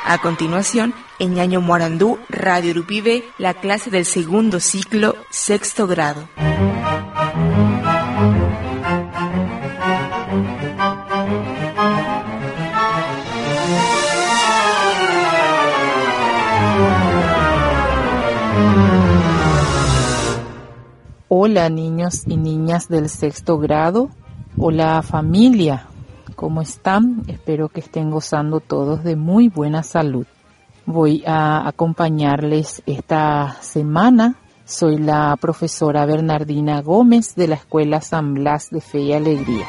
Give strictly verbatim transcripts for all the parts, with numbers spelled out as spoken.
A continuación, en Ñaño Morandú, Radio Rupibe, la clase del segundo ciclo, sexto grado. Hola niños y niñas del sexto grado, hola familia, ¿cómo están? Espero que estén gozando todos de muy buena salud. Voy a acompañarles esta semana. Soy la profesora Bernardina Gómez de la Escuela San Blas de Fe y Alegría.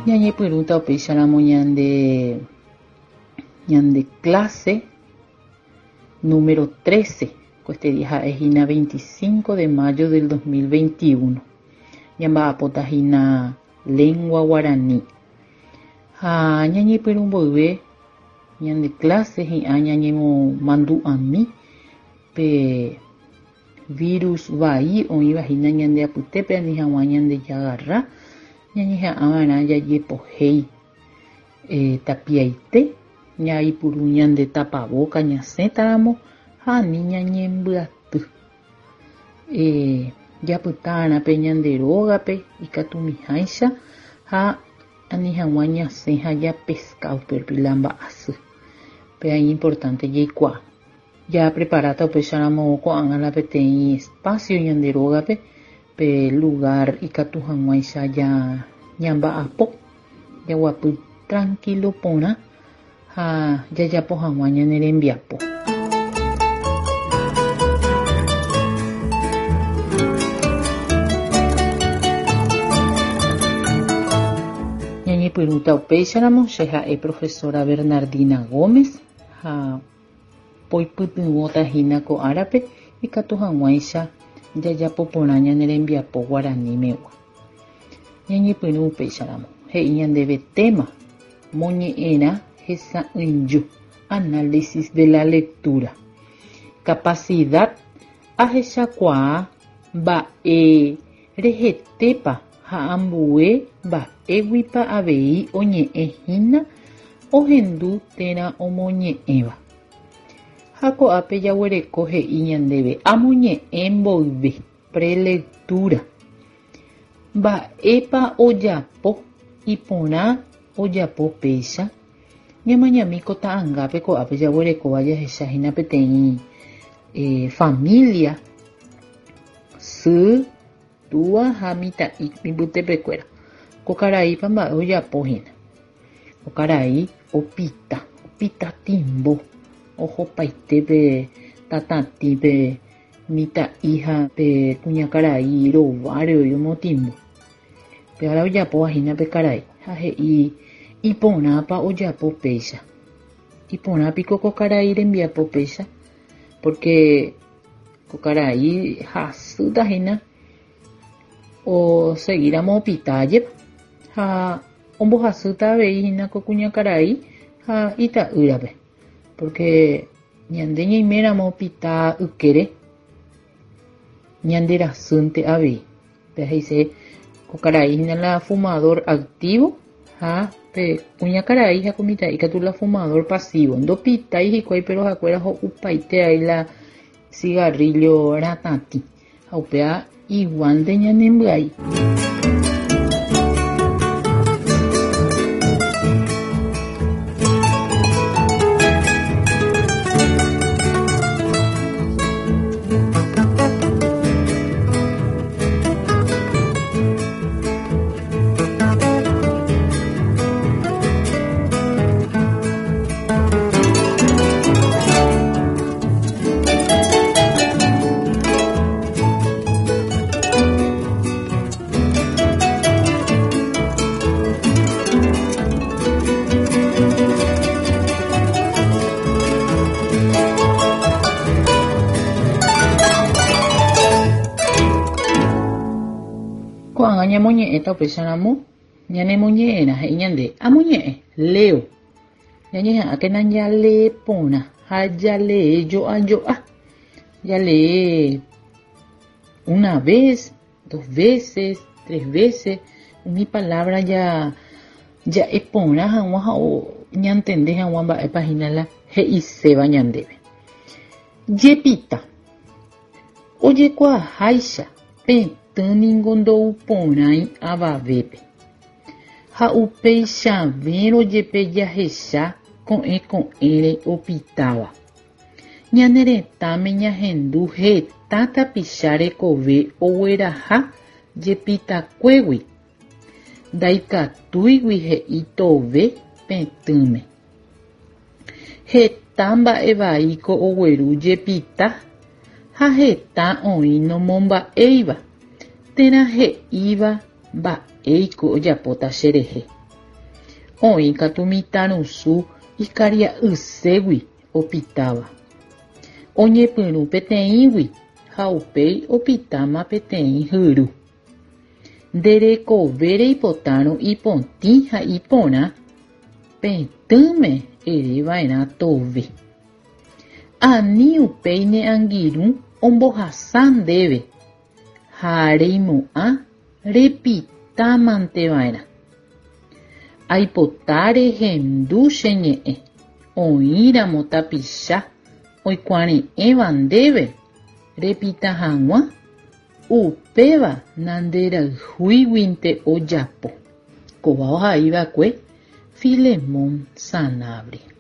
Ñañepyrũta upéicharamo ñande ñande clase número trece, este día es hína veinticinco de mayo del dos mil veintiuno. Ñamba'apóta hína lengua guaraní. Ha ñañepyrũ mboyve ñande clase hi'ã ñañemomandu'ami pe virus vai oĩva hína ñande apytépe ani hag̃ua ñande jagarra. Ñañeha'ãva'erã jajepohéi eh, tapiaite ñaipuru ñande tapaboca ñasẽtaramo ha ani ñañembyaty. Eh, japyta'arã pe ñande rógape ikatumiháicha ha ani hag̃ua ñasẽ ha japesca upépe la mba'asy. Péa importante jaikuaa. Japreparáta upéicharamo ko'ág̃a la peteĩ espacio ñande rógape pe lugar ikatu hag̃uáicha ja ñamba'apo jaguapy tranquilo porã ha jajapo hag̃ua ñane rembiapo. Ñañepyrũta upéicharamo che ha'e profesora Bernardina Gómez ha poipytyvõta hína ko árape ikatu hag̃uáicha jajapo porã ñane rembiapo guaranimegua. Ñañepyrũ upéicharamo he'i ñandéve tema moñe'ẽrã hesa'ỹijo, análisis de la lectura, capacidad ahechakuaa mba'e rehetépa ha ambue mba'éguipa avei oñe'ẽ hína ohendu térã omoñe'ẽva. Ha ko'ápe jaguereko he'i ñandéve amoñe'ẽ mboyve, prelectura. Mba'épa ojapo iporã ojapo péicha. Ñamañami ko ta'angápe ko'ápe jaguerekóva jahecha hína peteĩ eh, familia sy, túa ha mitã'i mbytepekuéra. Ko karaípa mba'e ojapo hína. Ko karai opita, opita timbo. Ohopaite pe tatatĩ pe mitã'i ha pe kuñakarai rováre oimotimbo. Pe ára ojapóva hína pe karai ha he'i iporãpa ojapo péicha. Iporãpiko ko karai rembiapo péicha porque ko karai hasýta hína oseguíramo opita jepa ha ombohasýta avei hína ko kuñakarai ha ita'ýrape. Porque ñande ñaiméramo opita ykére ñande rasýnte avei. Pe he'ise ko karai hína la fumador activo ha pe kuñakarai ha ko mitã'i katu la fumador pasivo. Ndopitái hikuái pero ha'ekuéra ho'upaite ai la cigarrillo ratatĩ ha upéva iguánte ñanembyai. Ko'ág̃a ñamoñe'ẽta upéicharamo ñanemoñe'ẽrã he'i ñande amoñe'ẽ leo. Ñañeha'ãkena jalee porã ha jalee jo'ajo'a. Jalee una vez, dos veces, tres veces umi palabra ya ja'e porã hag̃ua ha ñantende hag̃ua mba'épa hína la he'iséva ñandéve. Jepita. Ojekuaaháicha petỹ ningo ndouporãi avavépe. Ha upeichavérõ jepe jahecha ko'ẽ ko'ẽre opitáva. Ñane retãme ñahendu heta tapicha rekove ogueraha jepitakuégui. Ndaikatúigui he'i tove petỹme. Heta mba'evaíko ogueru jepita ha heta oĩ nomomba'éiva térã he'íva mba'éiko ojapóta cherehe. Oĩ katu mitãrusu ikaria'ységui opitáva. Oñepyrũ peteĩgui ha upéi opitáma peteĩ hyru. Nde rekove reipotárõ ipotĩ ha iporã petỹme ereva'erã tove. Ani upéi ne angirũ ombohasa ndéve ha reimo'ã repitámanteva'erã. Aipota rehendu che ñe'ẽ oĩramo tapicha oikuare'ẽva ndéve repita hag̃ua upéva nanderayhúiguinte ojapo. Kóva ohaiva'ekue Filemón Sanabria.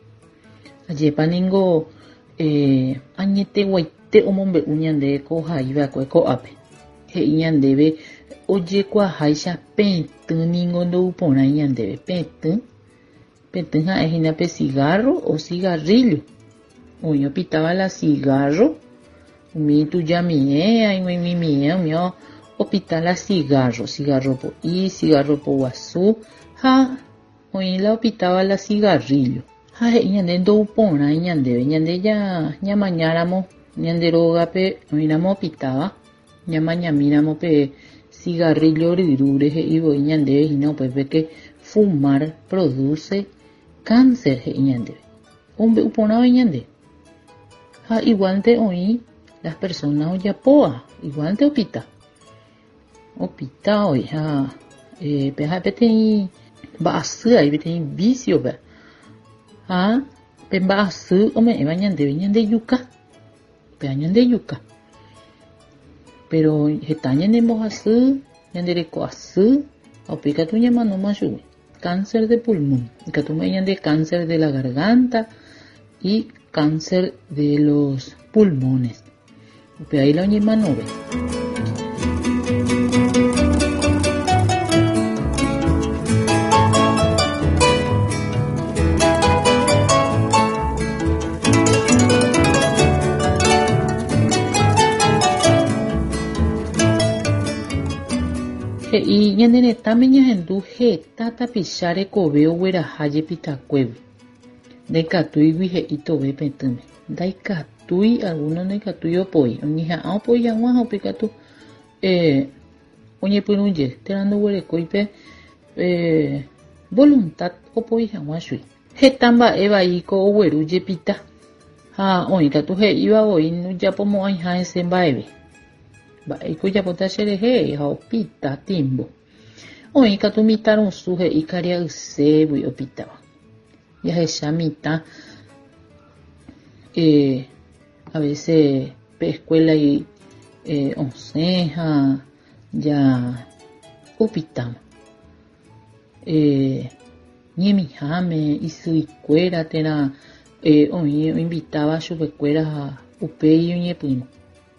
Ajépa ningo eh, añeteguaite omombe'u ñande ko ohaiva'ekue ko'ápe. He'i ñandéve ojekuaaháicha petỹ ningo ndouporãi ñandéve. Petỹ, petỹ ha'ehína pe cigarro o cigarrillo. Oĩ opitáva la cigarro, umi tujamiẽ, aig̃uaig̃uimiẽ, umi opita la cigarro, cigarro po'i, cigarro poguasu ha oĩ la opitáva la cigarrillo. Ha he'i ñande ndouporãi ñandéve. Ñande ñamañáramo ñande rógape oĩramo opitáva, ñamañamíramo pe cigarrillo ryrúre he'ivoi ñandéve hína upépe que fumar produce cáncer he'i ñandéve. Ombe'uporã oĩ ñande. Ha igualnte oĩ las personas ojapóva, igualnte opita. Opita oĩ ha eh, pe ha'e peteĩ mba'asy aĩ peteĩ vicio-pe. Ha pe mba'asy ome'ẽva ñandéve ñandejuka. Péva ñandejuka. Pero heta ñanembohasy, ñandereko'asy, ha upéi katu ñamanóma chugui. Cáncer de pulmón. Ikatu ome'ẽ ñande cáncer de la garganta y cáncer de los pulmones. Upéva la oñemanove. He'i ñane retãme ñahendu heta tapicha rekove ogueraha jepitakuégui. Ndaikatúigui he'i tove petỹme. Ndaikatúi, alguno ndaikatúi opoi. Oñeha'ã opoi hag̃ua ha upéi katu eh, oñepyrũ jey térã ndoguerekói pe eh, voluntad opoi hag̃ua chui. Heta mba'evaíko ogueru jepita ha oĩ katu he'íva voi ndojapomo'ãiha hese mba'eve. Mba'éiko ojapóta cherehe ha opita timbo. Oĩ katu mitãrusu he'i karia'ységui opitáva. Jahecha mitã eh, a veces pe escuela eh, osẽ ha ja opitáma. Eh, ñemiháme isyikuéra térã eh, oĩ oinvitáva chupekuéra ha upéi oñepyrũ.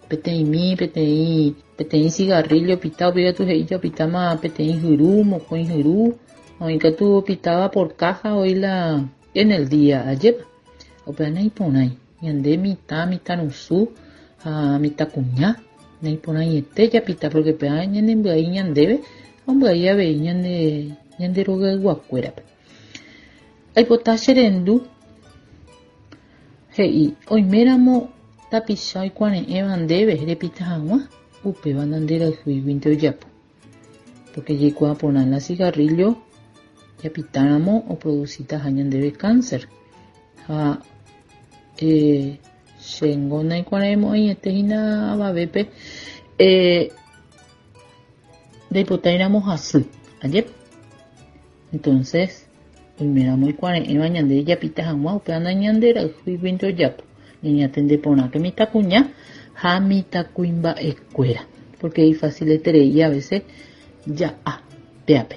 Peteĩmi, peteĩ, peteĩ cigarrillo opita, upéi katu he'i opitáma peteĩ hyru, mokõi hyru, oĩ katu opitáva por caja oĩ la en el día, ajépa. Upéva naiporãi. Ñande mitã, mitãrusu ha mitãkuña naiporãiete japita porque péva ñanembyai ñandéve ha ombyai avei ñande ñande rogayguakuérape. Aipota cherendu he'i oiméramo tapicha oikuare'ẽva ndéve repita hag̃ua upéva nanderayhúiguinte ojapo. Porque jaikuaa la cigarrillo japitáramo oproducitaha ñandéve cáncer. Ha eh, chéngo naikuaremo'ãiete hína avavépe eh, ndaipotáiramo hasy, ajépa. Entonces, oiméramo oikuare'ẽva ñande japita hag̃ua upéva nañanderayhúiguinte ojapo. Ñañatende porãke mitãkuña ha mitãkuimba'ekuéra, porque ifacileterei a veces ja'a péape.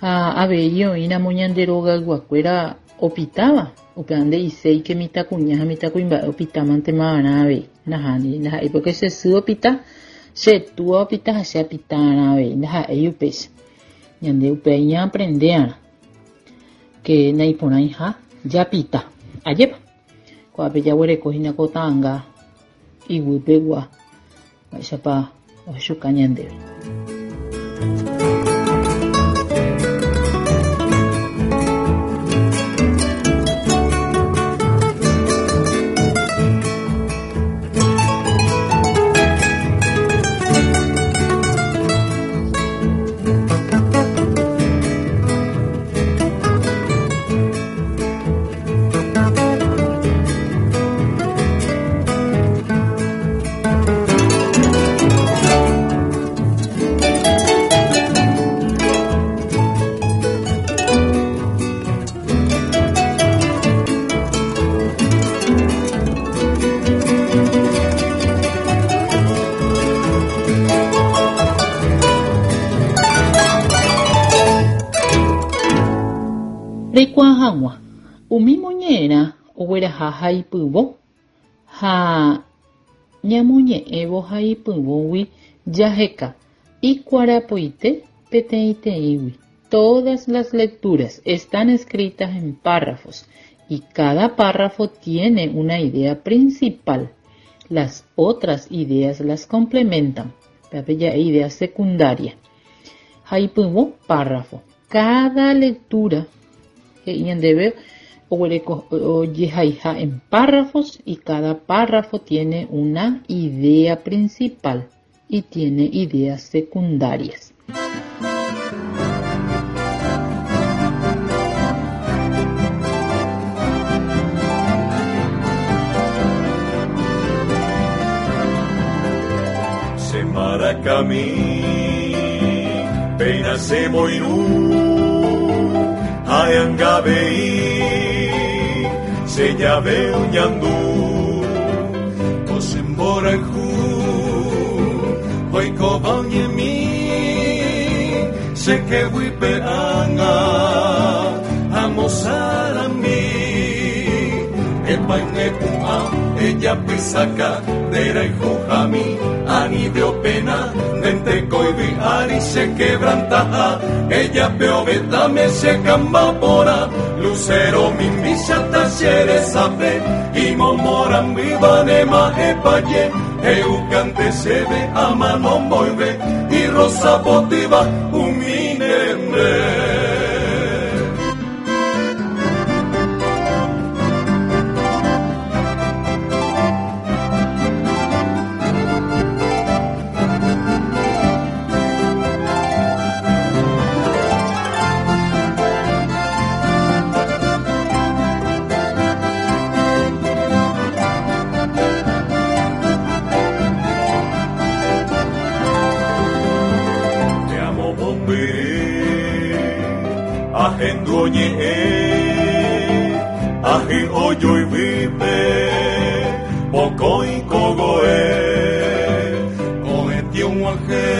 Ha avei oĩramo ñande rogayguakuéra opitáva, upéva nde'iséike mitãkuña ha mitãkuimba'e opitámantemava'erã avei. Nahániri, ndaha'éi porque che sy opita, che túa opita ha che apita'arã avei, ndaha'éi upéicha. Ñande upéva ñaaprende'arã que naiporãiha japita. Ajépa. Ko'ápe jaguereko hína ko ta'ãnga iguýpegua mba'éichapa ohechuka ñandéve. Reikuaa hag̃ua umi moñe'ẽrã ogueraha haipyvõ ha ñamoñe'ẽvo haipyvõgui jaheka ikuarapoite peteĩteĩgui. Todas las lecturas están escritas en párrafos y cada párrafo tiene una idea principal. Las otras ideas las complementan. Péape ja'e idea secundaria. Haipyvõ párrafo. Cada lectura he'i ñandéve oguereko ojehaiha en párrafos y cada párrafo tiene una idea principal y tiene ideas secundarias. Semaracami, peina se moirú, ayangabei, se llave un ñandú, osemborajú, oiko bañemi, se que huipeanga, amosarami, epainepua, ella pisaca, dera y jujami, ani veo pena, dente coibi ari se quebrantaja, ella peo betame se cambapora, lucero mimbishata xeresape, y momoran vivanema epaye, eucante se ve amanon volve, y rosa botiva uminembre. Aji oyo y vipe, poco y cogoe, coete un aje,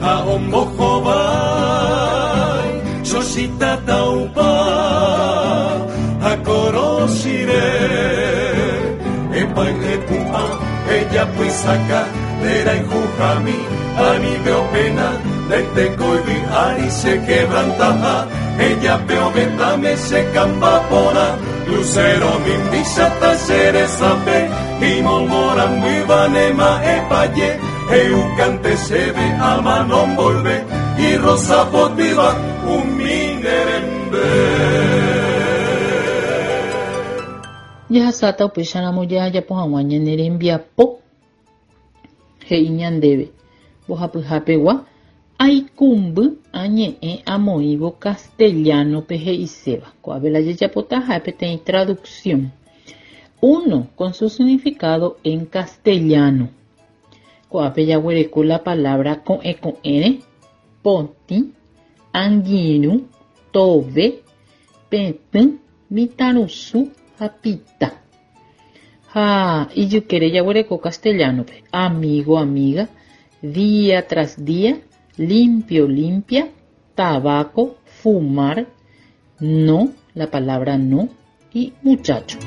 a un mojo bai, sosita taupa, a corosire, epa epua, ella puisaca, dera y jujami, a mi veo pena, de coibi ari se quebrantaja, ella peo betame se cambapora, lucero mimbishata xeresape, y momoran vivanema epaye, eucante se ve amanon volve, y rosa botiva uminerembe. Jahasáta upéicharamo jajapo hag̃ua ñane rembiapo he'i ñandéve mbohapyhapegua Aikumby añe'ẽ amoĩvo castellano-pe he'iséva. Ko'ápe la jajapóta ha'e peteĩ traducción. Uno, con su significado en castellano. Ko'ápe jaguereko la palabra ko'ẽ ko'ẽre, potĩ, angirũ, tove, petỹ, mitãrusu ha pita. Ha ijykére jaguereko castellano-pe. Amigo, amiga, día tras día, limpio, limpia, tabaco, fumar, no, la palabra no, y muchacho.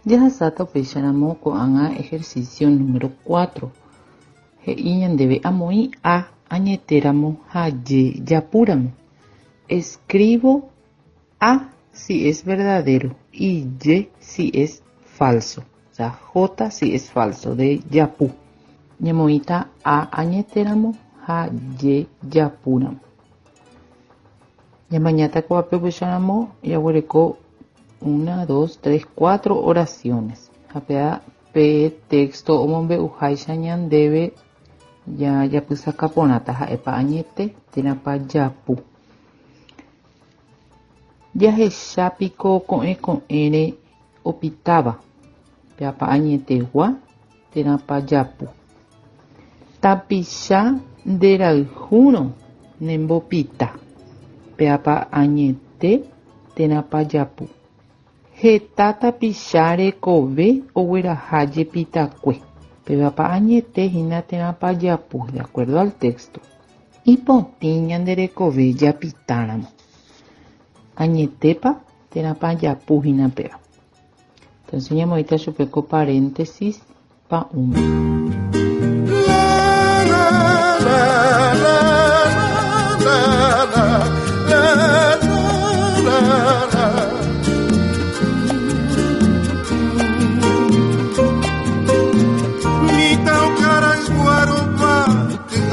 Jahasáta upéicharamo ko'ág̃a ejercicio número cuatro. He'i ñandéve amoĩ A añetéramo ha Y japúramo. Escribo A si es verdadero y Y si es falso. O sea, J si es falso, de japu. Ñamoĩta A añetéramo ha Y japúramo. Ñamañáta ko'ápe upéicharamo jaguereko una, dos, tres, cuatro oraciones. Japea pe texto omombe'uháicha ñandéve ya japysakaporãta ha'épa añete térãpa japu. Jahechápiko ko'ẽ ko'ẽre opitáva. Peápa añetegua térãpa japu. Tapicha nderayhúrõ nembopita. Peápa añete térãpa japu. Heta tapicha rekove ogueraha jepitakue. Pévapa añete hína térãpa japu, de acuerdo al texto. Ipotĩ ñande rekove japitáramo. Añetépa térãpa japu hína péva. Entonces ñamoĩta chupe ko paréntesis pa'ũme. La, la, la, la, la, la, la, la, la.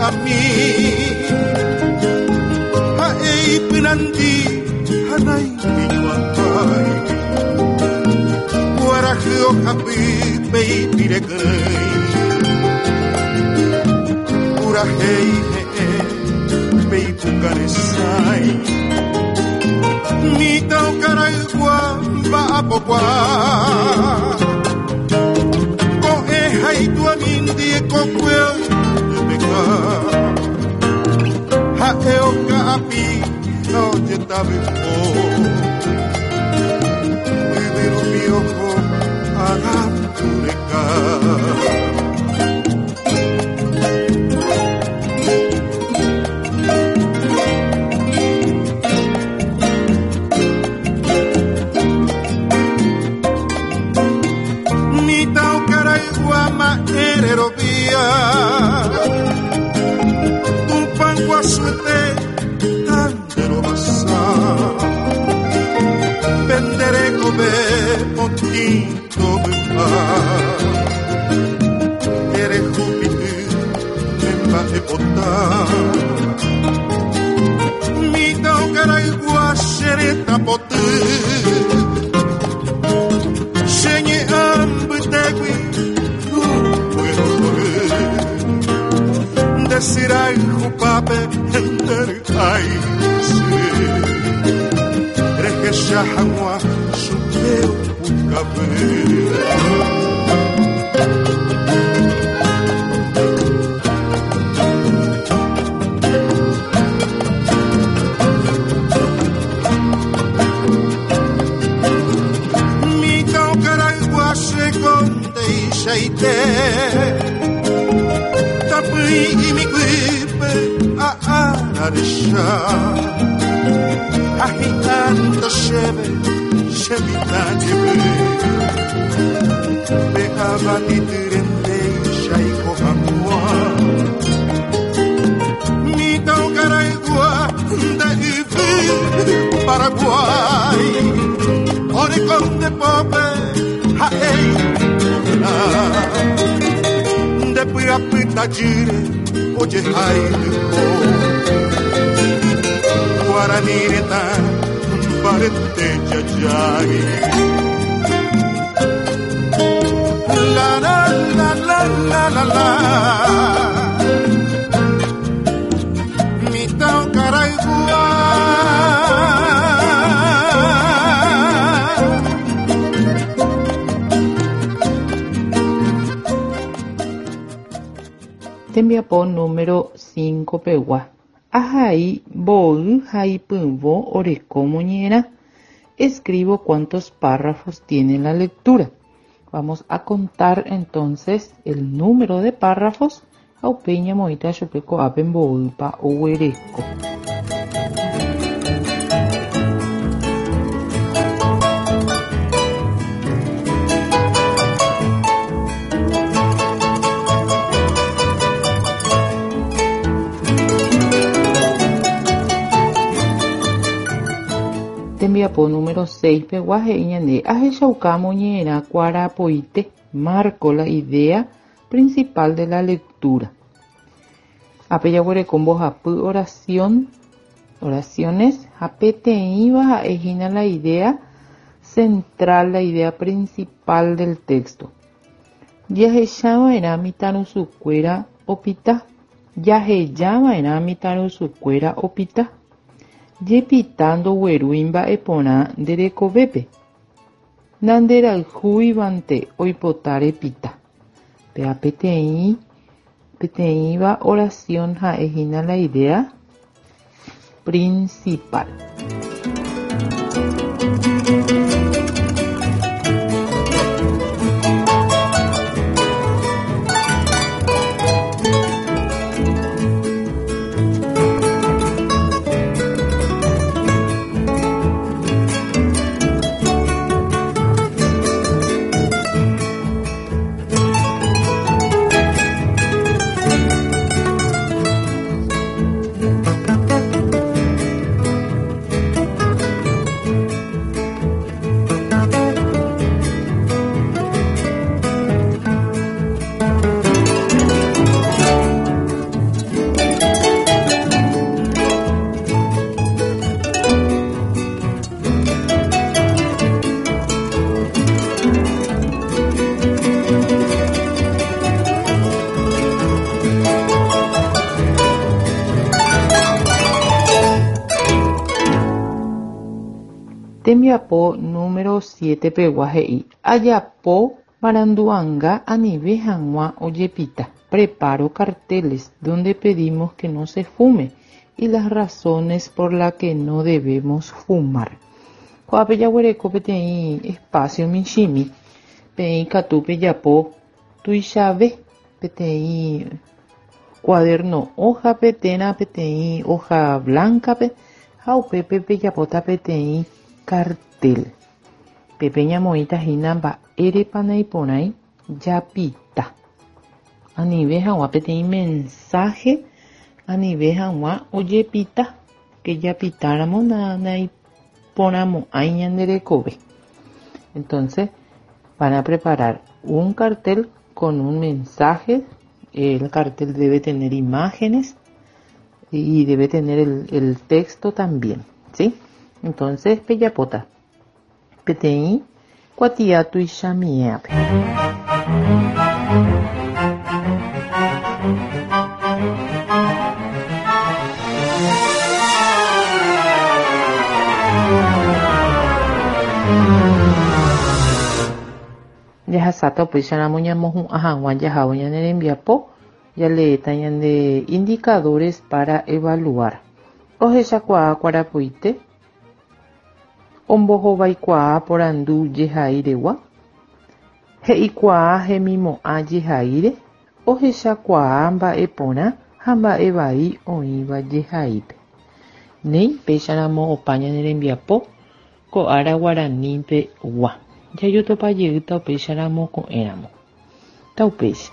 A mi haei pinandi hanai piñuapai guarajio hapi pei pirekai purahei he pei pukaresai ni tau karaigua ba'apokua ko'e haitua mindie kokue Ha'e oka'api ojetaveko Yvyrupi oho agapureka Nita okaraigua ma'ererovia Suete tandero basa vendere come potito bupa ere jupitu memba epota mi tau karaigua sereta potu senye ambutegui Desirai jupape enter ai si Rejesha hag̃ua chupe pukape Mi tau Tuichaite Tapui imikuipe a araresha Ahitanto shebe Shemitanyebe Pe abatiturende Shaiko hamwa Mitau karaigua De ivi Paraguay Ore conde pope Haei De puyapita jire Oye hailupo Guaranireta Parete jajai La la la la la la la Mitau karaigua Tembiapo número cinco pegua. Ahai boy haipumbo oreko moñera. Escribo cuántos párrafos tiene la lectura. Vamos a contar entonces el número de párrafos. Aupeña moita chupeco apen boypa owereco. Tembiapo número seis peguaje iñande ahechauka moñe'ẽrã kuarapoite. Marco la idea principal de la lectura. Apeyaguereko mbohapy oración, oraciones ha peteĩva ha'ehína la idea central, la idea principal del texto. Jahechava'erã mitãrusukuéra opita. Jahejava'erã mitãrusukuéra opita. Jepita ndoguerúi mba'eporã nderekovépe. Nanderayhúivante oipota repita. Péa peteĩ peteĩva oración ha'ehína la idea principal. Tembiapo número siete peguaje ayapo maranduanga anive hag̃ua ojepita. Preparo carteles donde pedimos que no se fume y las razones por las que no debemos fumar. Ko'ápe jaguereko peteĩ espacio michĩmi peĩ katu pejapo tuichave peteĩ cuaderno hojape térã peteĩ hoja blancape ha upépe pejapóta peteĩ cartel. Pepe ñamoĩta hína mba'érepa naiporãi japita. Anive hag̃ua peteĩ mensaje anive hag̃ua ojepita que japitáramo naiporãmo'ãi ñanderekove. Entonces van a preparar un cartel con un mensaje. El cartel debe tener imágenes y debe tener el, el texto también, ¿sí? Entonces, pejapota. Peteĩ kuatia tuichamiéape. Jahasáta upéicharamo ñamohu'ã hag̃ua jahávo ñane rembiapo jaleéta ñande indicadores para evaluar. Ohechakuaa kuarapoite ombohovaikuaa porandu jehairegua He'ikuaa hemimo'ã jehaíre, ohechakuaa mba'eporã ha mba'evai oĩva jehaípe. Néi péicharamo opa ñane rembiapo ko ára guaranípegua. Jajotopajeýta upéicharamo ko'ẽramo. Taupéicha.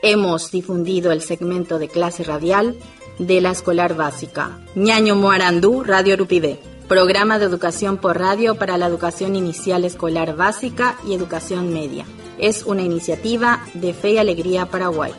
Hemos difundido el segmento de clase radial de la escolar básica. Ñaño Moarandú, Radio Rupivé. Programa de educación por radio para la educación inicial escolar básica y educación media. Es una iniciativa de Fe y Alegría Paraguay.